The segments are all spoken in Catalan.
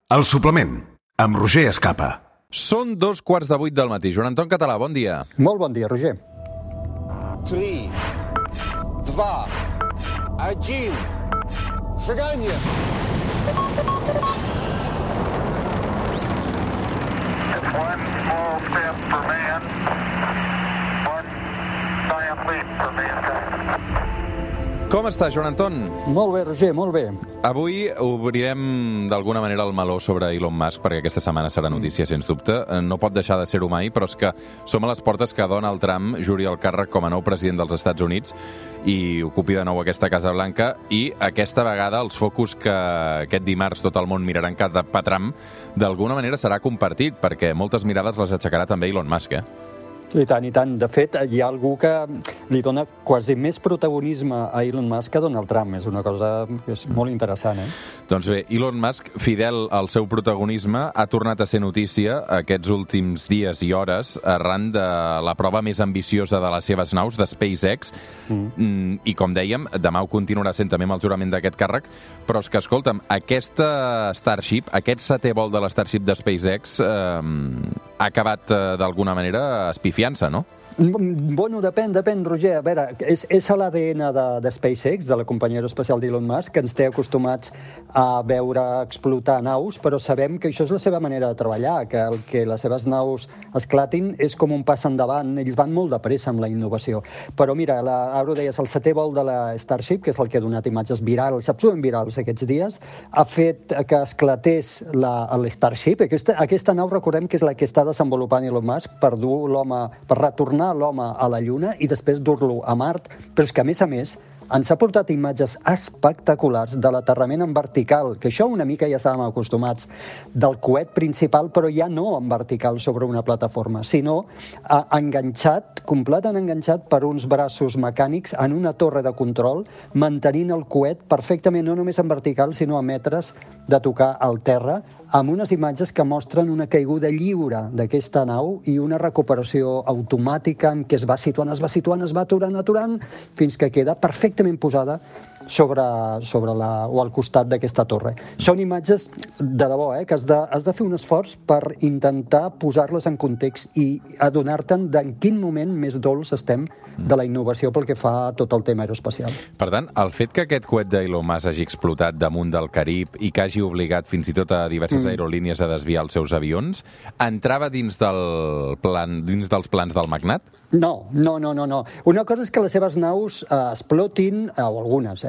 El suplement, amb Roger Escapa. Són 2:15 del matí. Joan Anton Català, bon dia. Molt bon dia, Roger. 3, 2, 1, seganya! It's one small step for man, one giant leap for mankind. Com està, Joan Anton? Molt bé, Roger, molt bé. Avui obrirem d'alguna manera el meló sobre Elon Musk, perquè aquesta setmana serà notícia, sens dubte. No pot deixar de ser-ho mai, però és que som a les portes que Donald Trump juri el càrrec com a nou president dels Estats Units i ocupi de nou aquesta Casa Blanca, i aquesta vegada els focus que aquest dimarts tot el món miraran cap a Trump d'alguna manera serà compartit, perquè moltes mirades les aixecarà també Elon Musk, I tant, i tant. De fet, hi ha algú que li dona quasi més protagonisme a Elon Musk que a Donald Trump. És una cosa que és molt interessant, Doncs bé, Elon Musk, fidel al seu protagonisme, ha tornat a ser notícia aquests últims dies i hores arran de la prova més ambiciosa de les seves naus, de SpaceX, i com dèiem, demà ho continuarà sent també amb el jurament d'aquest càrrec, però és que, escolta'm, aquesta Starship, aquest setè vol de la Starship de SpaceX, ha acabat d'alguna manera espifiant-se, no? Bueno, depèn, Roger. A veure, és a l'ADN de SpaceX, de la companyia aeroespacial d'Elon Musk, que ens té acostumats a veure explotar naus, però sabem que això és la seva manera de treballar, que el que les seves naus esclatin és com un pas endavant. Ells van molt de pressa amb la innovació. Però mira, ara ho deies, el setè vol de la Starship, que és el que ha donat imatges virals, absolutament virals aquests dies, ha fet que esclatés l'Starship. Aquesta nau, recordem que és la que està desenvolupant Elon Musk per retornar l'home a la Lluna i després dur-lo a Mart, però és que, a més, ens ha portat imatges espectaculars de l'aterrament en vertical, que això una mica ja estàvem acostumats, del coet principal, però ja no en vertical sobre una plataforma, sinó enganxat, completament enganxat per uns braços mecànics en una torre de control, mantenint el coet perfectament, no només en vertical, sinó a metres de tocar al terra, amb unes imatges que mostren una caiguda lliure d'aquesta nau i una recuperació automàtica en què es va situant, es va aturant, fins que queda perfectament posada sobre o al costat d'aquesta torre. Són imatges de debò, que has de fer un esforç per intentar posar-les en context i adonar-te'n d'en quin moment més dolç estem de la innovació pel que fa a tot el tema aeroespacial. Per tant, el fet que aquest coet d'Elon Musk hagi explotat damunt del Carib i que hagi obligat fins i tot a diverses aerolínies a desviar els seus avions, entrava dins dels plans del magnat? No. Una cosa és que les seves naus explotin, o algunes,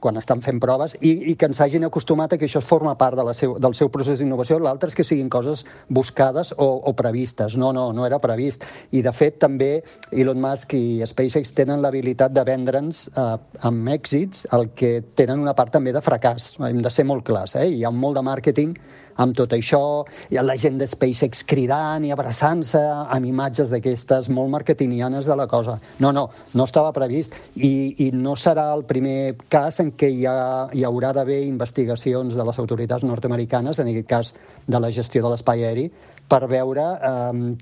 quan estan fent proves, i que ens hagin acostumat a que això forma part del seu procés d'innovació. L'altre és que siguin coses buscades o previstes. No era previst. I, de fet, també Elon Musk i SpaceX tenen l'habilitat de vendre'ns amb èxits el que tenen una part també de fracàs. Hem de ser molt clars. Hi ha molt de màrqueting amb tot això, hi ha la gent de SpaceX cridant i abraçant-se amb imatges d'aquestes molt marketingianes de la cosa. No estava previst i no serà el primer cas en què hi haurà d'haver investigacions de les autoritats nord-americanes, en aquest cas de la gestió de l'espai aeri, per veure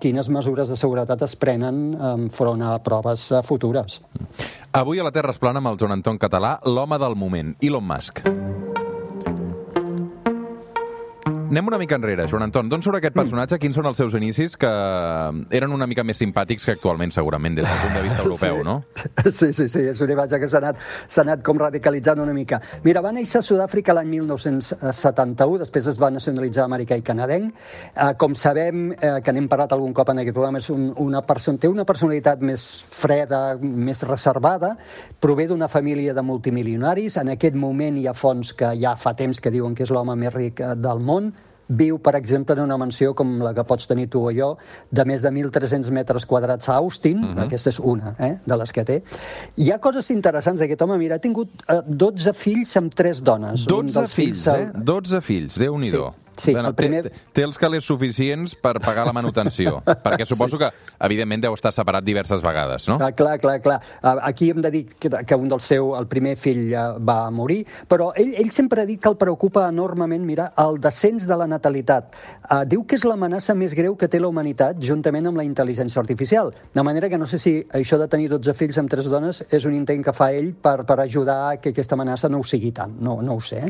quines mesures de seguretat es prenen enfront a proves futures. Avui a la Terra es plana amb el Joan Anton Català, l'home del moment, Elon Musk. Anem una mica enrere, Joan Anton. D'on surt aquest personatge? Quins són els seus inicis, que eren una mica més simpàtics que actualment, segurament, des del punt de vista europeu, no? Sí, és una imatge que s'ha anat com radicalitzant una mica. Mira, va néixer a Sud-àfrica l'any 1971, després es va nacionalitzar americà i canadenc. Com sabem, que n'hem parlat algun cop en aquest programa, té una personalitat més freda, més reservada, prové d'una família de multimilionaris. En aquest moment hi ha fonts que ja fa temps que diuen que és l'home més ric del món. Viu, per exemple, en una mansió com la que pots tenir tu o jo, de més de 1.300 metres quadrats a Austin. Aquesta és una de les que té. Hi ha coses interessants d'aquest home. Mira, ha tingut 12 fills amb 3 dones. 12 fills, 12 fills, Déu-n'hi-do. Sí, bueno, té els calés suficients per pagar la manutenció, perquè suposo que, evidentment, deu estar separat diverses vegades, no? Clar. Aquí hem de dir que el primer fill va morir, però ell sempre ha dit que el preocupa enormement, mira, el descens de la natalitat. Diu que és l'amenaça més greu que té la humanitat, juntament amb la intel·ligència artificial. De manera que no sé si això de tenir 12 fills amb 3 dones és un intent que fa ell per ajudar que aquesta amenaça no ho sigui tant. No ho sé.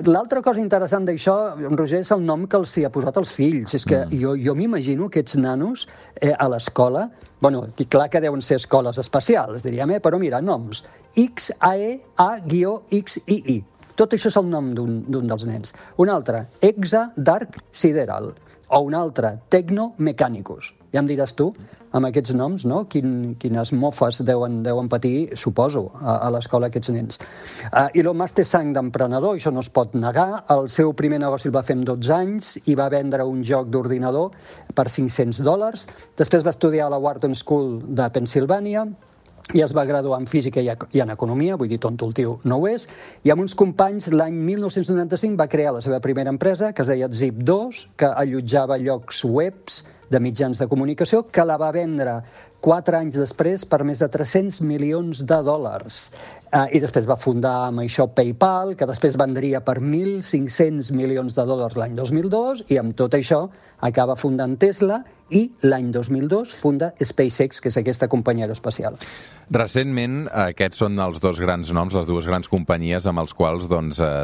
L'altra cosa interessant d'això, Roger, és el nom que els hi ha posat els fills. És que jo m'imagino aquests nanos a l'escola, bueno, clar que deuen ser escoles especials, diríem, però mira, noms. XAEA-XII. Tot això és el nom d'un dels nens. Un altre, Exa Dark Sideral. O un altre, Tecno Mechanicus. Ja em diràs tu, amb aquests noms, no? Quines mofes deuen patir, suposo, a l'escola aquests nens. Elon Musk té sang d'emprenedor, això no es pot negar. El seu primer negoci el va fer amb 12 anys i va vendre un joc d'ordinador per $500. Després va estudiar a la Wharton School de Pennsilvània i es va graduar en física i en economia, vull dir, tonto el tio no ho és, i amb uns companys l'any 1995 va crear la seva primera empresa, que es deia Zip2, que allotjava llocs webs de mitjans de comunicació, que la va vendre 4 anys després per més de $300 milions. I després va fundar amb això PayPal, que després vendria per $1.500 milions l'any 2002, i amb tot això acaba fundant Tesla, i l'any 2002 funda SpaceX, que és aquesta companyia aeroespacial. Recentment, aquests són els dos grans noms, les dues grans companyies amb els quals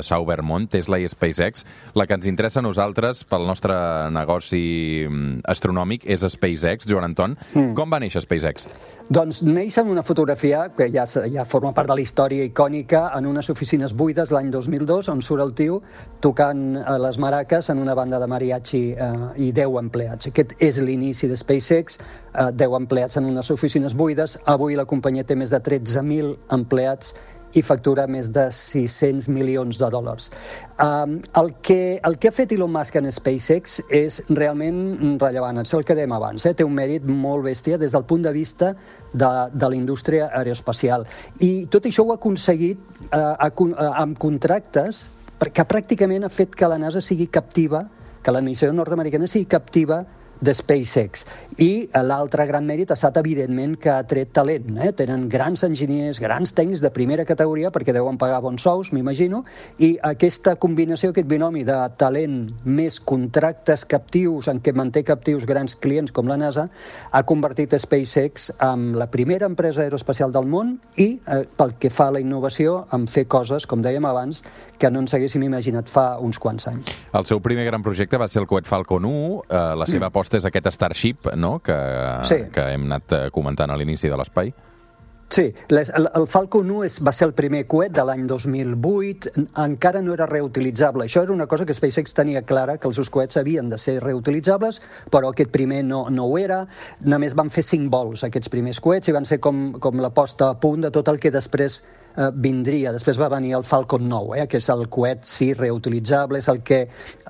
s'ha obert món, Tesla i SpaceX. La que ens interessa a nosaltres pel nostre negoci astronòmic és SpaceX. Joan Anton, com va néixer SpaceX? Doncs neix en una fotografia que ja forma part de la història icònica en unes oficines buides l'any 2002, on surt el tio tocant les maraques en una banda de mariachi i 10 empleats. Aquest és l'inici de SpaceX, 10 empleats en unes oficines buides. Avui la companyia té més de 13.000 empleats i factura més de $600 milions. El que ha fet Elon Musk en SpaceX és realment rellevant, és el que dèiem abans, té un mèrit molt bèstia des del punt de vista de la indústria aeroespacial. I tot això ho ha aconseguit amb contractes que pràcticament ha fet que la NASA sigui captiva, que l'administració nord-americana sigui captiva de SpaceX. I l'altre gran mèrit ha estat, evidentment, que ha tret talent. Tenen grans enginyers, grans tècnics de primera categoria, perquè deuen pagar bons sous, m'imagino, i aquesta combinació, aquest binomi de talent més contractes captius, en què manté captius grans clients com la NASA, ha convertit SpaceX en la primera empresa aeroespacial del món i, pel que fa a la innovació, en fer coses, com dèiem abans, que no ens haguéssim imaginat fa uns quants anys. El seu primer gran projecte va ser el coet Falcon 1, la seva aposta és aquest Starship, no?, que hem anat comentant a l'inici de l'espai. Sí, el Falcon 1 va ser el primer coet de l'any 2008, encara no era reutilitzable. Això era una cosa que SpaceX tenia clara, que els seus coets havien de ser reutilitzables, però aquest primer no ho era. Només van fer 5 vols, aquests primers coets, i van ser com la posta a punt de tot el que després vindria. Després va venir el Falcon 9, que és el coet, sí, reutilitzable, és el que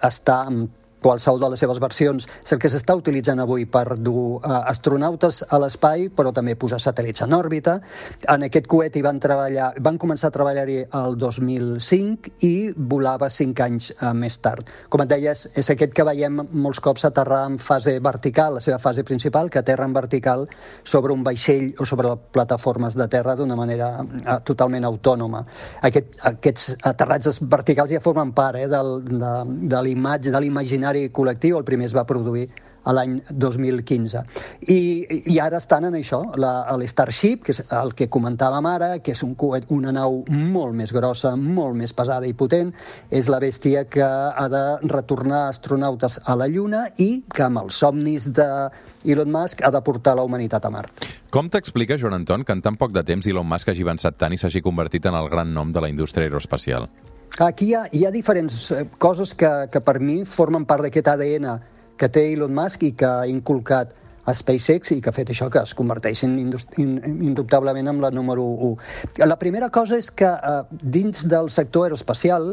està amb qualsevol de les seves versions, és el que s'està utilitzant avui per dur astronautes a l'espai, però també posar satèl·lits en òrbita. En aquest coet van començar a treballar-hi el 2005 i volava 5 anys més tard. Com et deies, és aquest que veiem molts cops aterrar en fase vertical, la seva fase principal, que aterra en vertical sobre un vaixell o sobre plataformes de terra d'una manera totalment autònoma. Aquests aterratges verticals ja formen part de l'imatge, de l'imaginari col·lectiu. El primer es va produir a l'any 2015. I ara estan en això, l'Starship, que és el que comentàvem ara, que és una nau molt més grossa, molt més pesada i potent. És la bèstia que ha de retornar astronautes a la Lluna i que amb els somnis d'Elon Musk ha de portar la humanitat a Mart. Com t'explica, Joan Anton, que en tan poc de temps Elon Musk hagi avançat tant i s'hagi convertit en el gran nom de la indústria aeroespacial? Aquí hi ha diferents coses que per mi formen part d'aquest ADN que té Elon Musk i que ha inculcat a SpaceX i que ha fet això, que es converteixin indubtablement en la número 1. La primera cosa és que dins del sector aeroespacial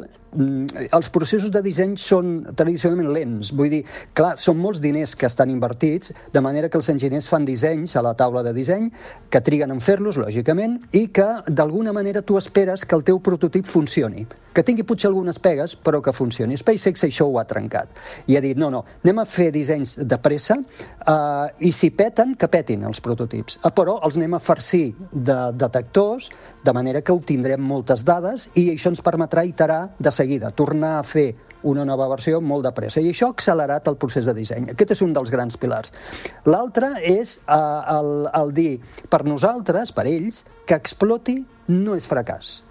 els processos de disseny són tradicionalment lents. Vull dir, clar, són molts diners que estan invertits, de manera que els enginyers fan dissenys a la taula de disseny, que triguen en fer-los, lògicament, i que d'alguna manera tu esperes que el teu prototip funcioni, que tingui potser algunes pegues, però que funcioni. SpaceX això ho ha trencat. I ha dit, no, anem a fer dissenys de pressa i si peten, que petin els prototips. Però els anem a farcir de detectors, de manera que obtindrem moltes dades i això ens permetrà iterar de seguida, tornar a fer una nova versió molt de pressa. I això ha accelerat el procés de disseny. Aquest és un dels grans pilars. L'altre és el dir, per nosaltres, per ells, que exploti no és fracàs.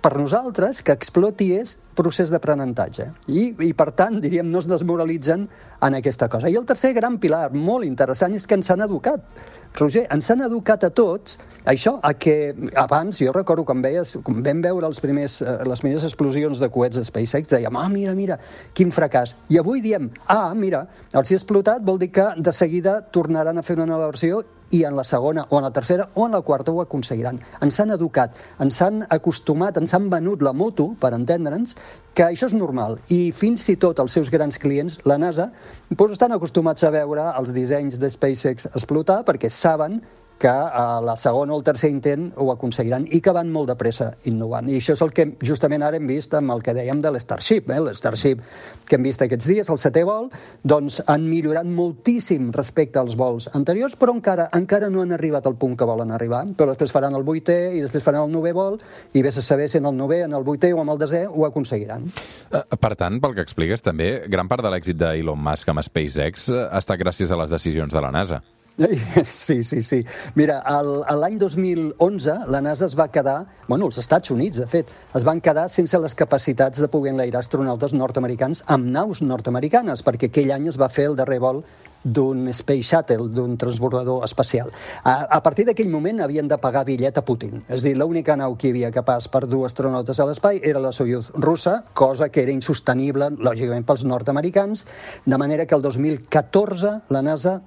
per nosaltres, que exploti és procés d'aprenentatge. I per tant, diríem, no es desmoralitzen en aquesta cosa. I el tercer gran pilar, molt interessant, és que ens han educat. Roger, ens han educat a tots, això, a que abans, jo recordo quan vam veure les primeres explosions de coets de SpaceX, dèiem, mira, quin fracàs. I avui diem, mira, els hi ha explotat, vol dir que de seguida tornaran a fer una nova versió i en la segona, o en la tercera, o en la quarta ho aconseguiran. Ens han educat, ens han acostumat, ens han venut la moto, per entendre'ns, que això és normal. I fins i tot els seus grans clients, la NASA, doncs estan acostumats a veure els dissenys de SpaceX explotar perquè saben que a la segona o el tercer intent ho aconseguiran i que van molt de pressa innovant. I això és el que justament ara hem vist amb el que dèiem de l'Starship. L'Starship que hem vist aquests dies, el 7è vol, doncs han millorat moltíssim respecte als vols anteriors, però encara no han arribat al punt que volen arribar. Però després faran el 8è i després faran el 9è vol i vés a saber si en el 9è, en el 8è o en el 10è ho aconseguiran. Per tant, pel que expliques també, gran part de l'èxit d'Elon Musk amb SpaceX ha estat gràcies a les decisions de la NASA. Sí. Mira, l'any 2011 la NASA es va quedar, els Estats Units, de fet, es van quedar sense les capacitats de poder enlairar astronautes nord-americans amb naus nord-americanes, perquè aquell any es va fer el darrer vol d'un Space Shuttle, d'un transbordador espacial. A partir d'aquell moment havien de pagar bitllet a Putin. És a dir, l'única nau que hi havia capaç per dur astronautes a l'espai era la Soyuz russa, cosa que era insostenible, lògicament, pels nord-americans, de manera que el 2014 la NASA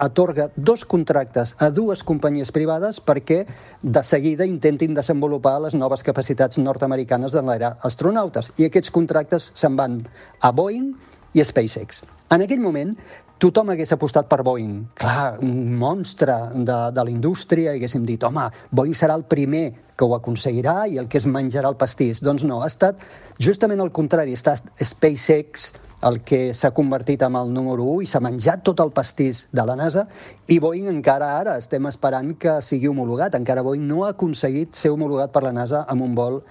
atorga 2 contractes a 2 companyies privades perquè de seguida intentin desenvolupar les noves capacitats nord-americanes d'enlairar astronautes. I aquests contractes se'n van a Boeing i a SpaceX. En aquell moment, tothom hagués apostat per Boeing. Clar, un monstre de la indústria, i haguéssim dit, Boeing serà el primer que ho aconseguirà i el que es menjarà el pastís. Doncs no, ha estat justament el contrari. Ha estat SpaceX el que s'ha convertit en el número 1 i s'ha menjat tot el pastís de la NASA, i Boeing encara ara estem esperant que sigui homologat. Encara Boeing no ha aconseguit ser homologat per la NASA amb un vol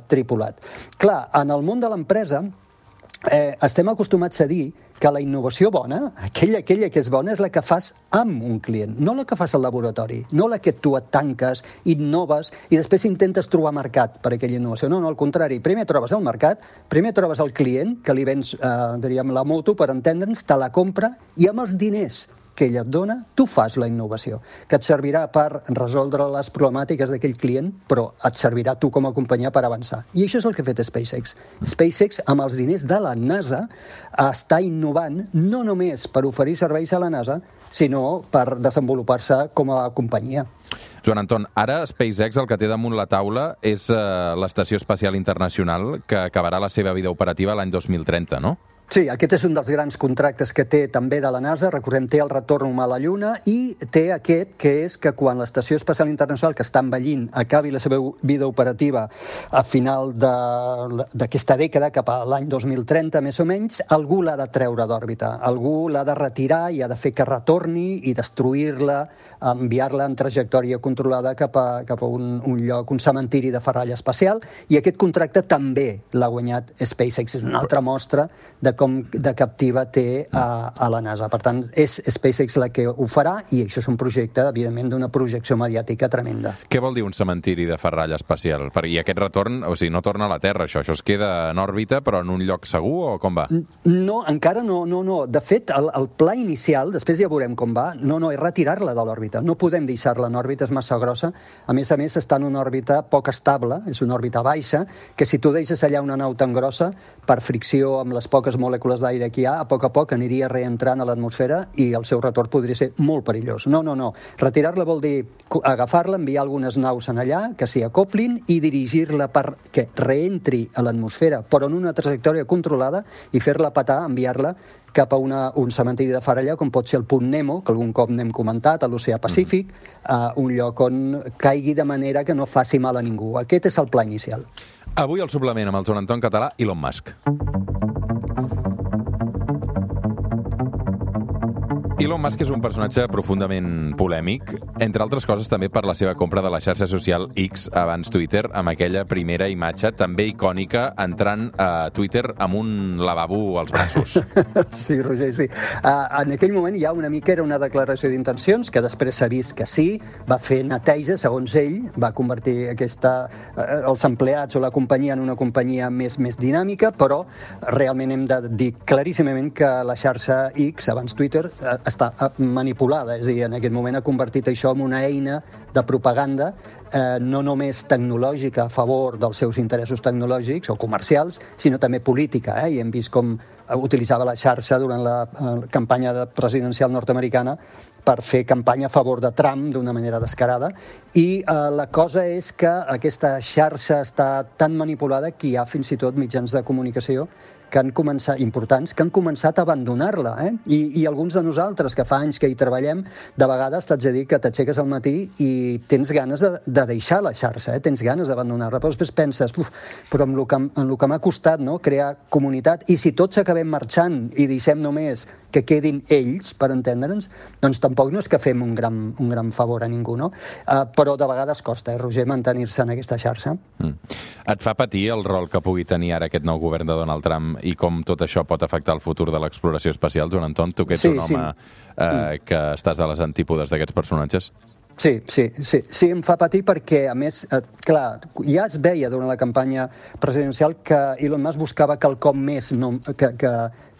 tripulat. Clar, en el món de l'empresa estem acostumats a dir que la innovació bona, aquella que és bona, és la que fas amb un client, no la que fas al laboratori, no la que tu et tanques, innoves i després intentes trobar mercat per aquella innovació. No, al contrari, primer trobes el mercat, primer trobes el client, que li vens, diríem, la moto, per entendre'ns, te la compra i amb els diners que ella et dona, tu fas la innovació, que et servirà per resoldre les problemàtiques d'aquell client, però et servirà tu com a companyia per avançar. I això és el que ha fet SpaceX. SpaceX, amb els diners de la NASA, està innovant no només per oferir serveis a la NASA, sinó per desenvolupar-se com a companyia. Joan Anton, ara SpaceX el que té damunt la taula és l'Estació Espacial Internacional, que acabarà la seva vida operativa l'any 2030, no? Sí, aquest és un dels grans contractes que té també de la NASA. Recordem, té el retorn humà a la Lluna i té aquest, que és que quan l'Estació Espacial Internacional, que està envellint, acabi la seva vida operativa a final d'aquesta dècada, cap a l'any 2030, més o menys, algú l'ha de treure d'òrbita. Algú l'ha de retirar i ha de fer que retorni i destruir-la, enviar-la en trajectòria controlada cap a un lloc, un cementiri de ferralla espacial. I aquest contracte també l'ha guanyat SpaceX. És una altra mostra de com de captiva té a la NASA. Per tant, és SpaceX la que ho farà i això és un projecte, evidentment, d'una projecció mediàtica tremenda. Què vol dir un cementiri de ferralla espacial? I aquest retorn, o sigui, no torna a la Terra, això es queda en òrbita, però en un lloc segur, o com va? No, encara no. De fet, el pla inicial, després ja veurem com va, és retirar-la de l'òrbita. No podem deixar-la en òrbita, és massa grossa. A més, està en una òrbita poc estable, és una òrbita baixa, que si tu deixes allà una nau tan grossa, per fricció amb les poques molècules d'aire que hi ha, a poc aniria reentrant a l'atmosfera i el seu retorn podria ser molt perillós. No. Retirar-la vol dir agafar-la, enviar algunes naus en allà, que s'hi acoplin i dirigir-la perquè reentri a l'atmosfera, però en una trajectòria controlada i fer-la petar, enviar-la cap a un cementiri de ferralla, com pot ser el Punt Nemo, que algun cop n'hem comentat, a l'Oceà Pacífic, un lloc on caigui de manera que no faci mal a ningú. Aquest és el pla inicial. Avui el suplement amb el Joan Anton Català, Elon Musk. Elon Musk és un personatge profundament polèmic, entre altres coses també per la seva compra de la xarxa social X, abans Twitter, amb aquella primera imatge també icònica entrant a Twitter amb un lavabo als braços. Sí, Roger, sí. En aquell moment ja una mica era una declaració d'intencions, que després s'ha vist que sí, va fer neteja, segons ell, va convertir els empleats o la companyia en una companyia més dinàmica, però realment hem de dir claríssimament que la xarxa X, abans Twitter, està manipulada, és a dir, en aquest moment ha convertit això en una eina de propaganda no només tecnològica a favor dels seus interessos tecnològics o comercials, sinó també política, i hem vist com utilitzava la xarxa durant la campanya presidencial nord-americana per fer campanya a favor de Trump d'una manera descarada, i la cosa és que aquesta xarxa està tan manipulada que hi ha fins i tot mitjans de comunicació que han començat, importants, que han començat a abandonar-la. I alguns de nosaltres, que fa anys que hi treballem, de vegades t'haig de dir que t'aixeques al matí i tens ganes de deixar la xarxa, tens ganes d'abandonar-la, però després penses, però amb el que m'ha costat, no?, crear comunitat, i si tots acabem marxant i deixem només que quedin ells, per entendre'ns, doncs tampoc no és que fem un gran favor a ningú, no? Però de vegades costa, Roger, mantenir-se en aquesta xarxa. Et fa patir el rol que pugui tenir ara aquest nou govern de Donald Trump i com tot això pot afectar el futur de l'exploració espacial, Joan Anton? Tu que ets un home que estàs de les antípodes d'aquests personatges. Sí, em fa patir perquè, a més, clar, ja es veia durant la campanya presidencial que Elon Musk buscava quelcom més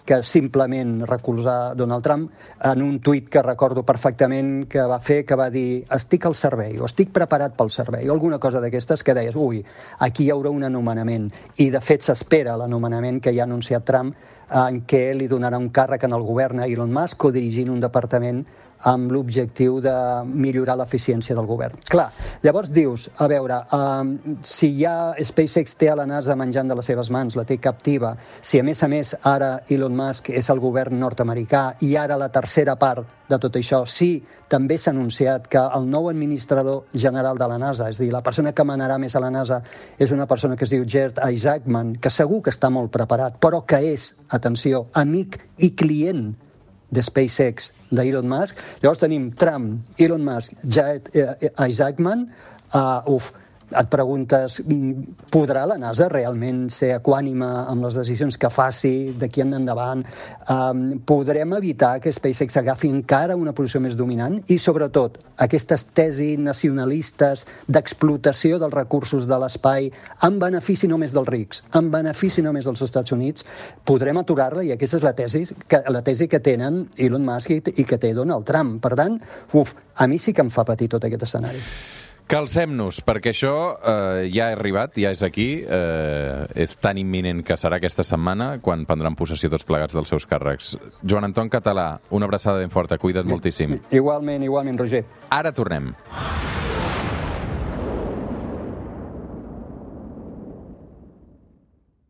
que simplement recolzar Donald Trump en un tuit que recordo perfectament que va fer, que va dir estic al servei o estic preparat pel servei o alguna cosa d'aquestes que deies, aquí hi haurà un anomenament, i de fet s'espera l'anomenament que ja ha anunciat Trump en què li donarà un càrrec en el govern a Elon Musk codirigint un departament amb l'objectiu de millorar l'eficiència del govern. Clar, llavors dius, a veure, si ja SpaceX té a la NASA menjant de les seves mans, la té captiva, si a més ara Elon Musk és el govern nord-americà i ara la tercera part de tot això, sí, també s'ha anunciat que el nou administrador general de la NASA, és a dir, la persona que manarà més a la NASA és una persona que es diu Gerd Isaacman, que segur que està molt preparat, però que és, atenció, amic i client de SpaceX, d'Elon Musk. Llavors tenim Trump, Elon Musk, Gerd Isaacman. Et preguntes, podrà la NASA realment ser equànime amb les decisions que faci d'aquí en endavant? Podrem evitar que SpaceX agafi encara una posició més dominant? I, sobretot, aquestes tesis nacionalistes d'explotació dels recursos de l'espai en benefici només dels rics, en benefici només dels Estats Units, podrem aturar-la? I aquesta és la tesi que tenen Elon Musk i que té Donald Trump. Per tant, a mi sí que em fa patir tot aquest escenari. Calcem-nos, perquè això ja ha arribat, ja és aquí, és tan imminent que serà aquesta setmana quan prendran possessió tots plegats dels seus càrrecs. Joan Anton Català, una abraçada ben forta, cuida't moltíssim. Igualment, Roger. Ara tornem.